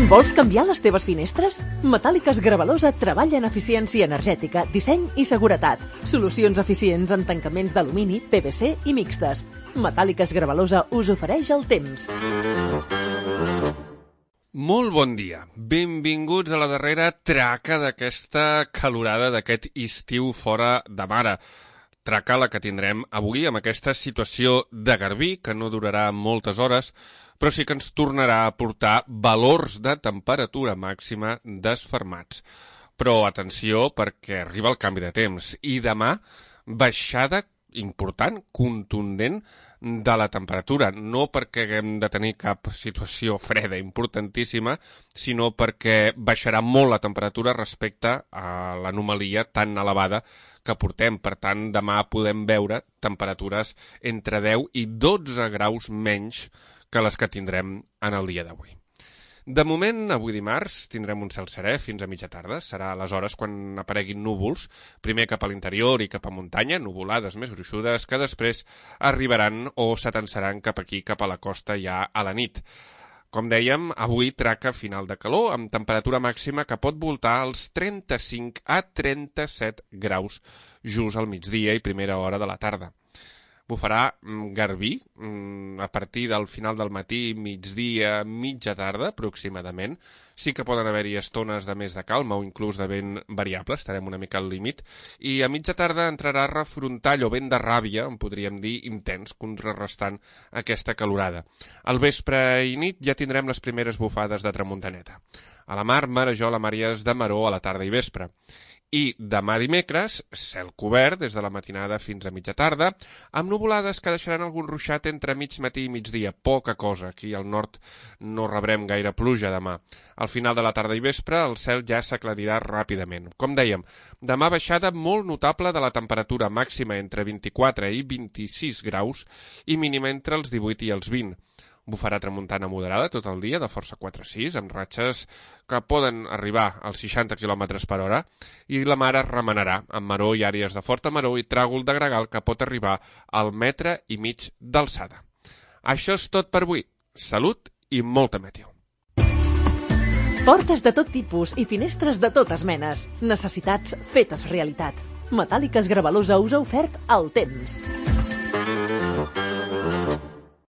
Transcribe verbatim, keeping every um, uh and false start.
Vols canviar les teves finestres? Metàl·liques Gravalosa treballa en eficiència energètica, disseny i seguretat. Solucions eficients en tancaments d'alumini, P V C i mixtes. Metàl·liques Gravalosa us ofereix el temps. Molt bon dia. Benvinguts a la darrera traca d'aquesta calorada, d'aquest estiu fora de mare. Traca la que tindrem avui amb aquesta situació de garbí, que no durarà moltes hores, però sí que ens tornarà a portar valors de temperatura màxima desfermats. Però atenció, perquè arriba el canvi de temps i demà baixada important, contundent de la temperatura, no perquè haguem de tenir cap situació freda importantíssima, sinó perquè baixarà molt la temperatura respecte a l'anomalia tan elevada que portem. Per tant, demà podem veure temperatures entre deu i dotze graus menys que les que tindrem en el dia d'avui. De moment, avui dimarts, tindrem un cel serè fins a mitja tarda. Serà aleshores quan apareguin núvols, primer cap a l'interior i cap a muntanya, nuvolades més gruixudes que després arribaran o s'atansaran cap aquí, cap a la costa ja a la nit. Com dèiem, avui traca final de calor amb temperatura màxima que pot voltar als trenta-cinc a trenta-set graus just al migdia i primera hora de la tarda. Bufarà garbí a partir del final del matí, migdia, mitja tarda, aproximadament. Sí que poden haver-hi estones de més de calma o inclús de vent variable, estarem una mica al límit. I a mitja tarda entrarà refrontall o vent de ràbia, en podríem dir intens, contrarrestant aquesta calorada. Al vespre i nit ja tindrem les primeres bufades de tramuntaneta. A la mar, marejol, a Màries de Maró a la tarda i vespre. I demà dimecres, cel cobert des de la matinada fins a mitja tarda, amb nuvolades que deixaran algun ruixat entre mig matí i migdia, poca cosa. Aquí al nord no rebrem gaire pluja demà. Al final de la tarda i vespre el cel ja s'aclarirà ràpidament. Com dèiem, demà baixada molt notable de la temperatura màxima entre vint-i-quatre i vint-i-sis graus i mínima entre els divuit i els vint. Bufarà tramuntana moderada tot el dia, de força quatre a sis, amb ratxes que poden arribar als seixanta quilòmetres per hora, i la mar es remenarà amb maró i àrees de forta maró i tràgol de gregal que pot arribar al metre i mig d'alçada. Això és tot per avui. Salut i molta meteo. Portes de tot tipus i finestres de totes menes. Necessitats fetes realitat. Metàl·liques Gravalosa us ha ofert el temps.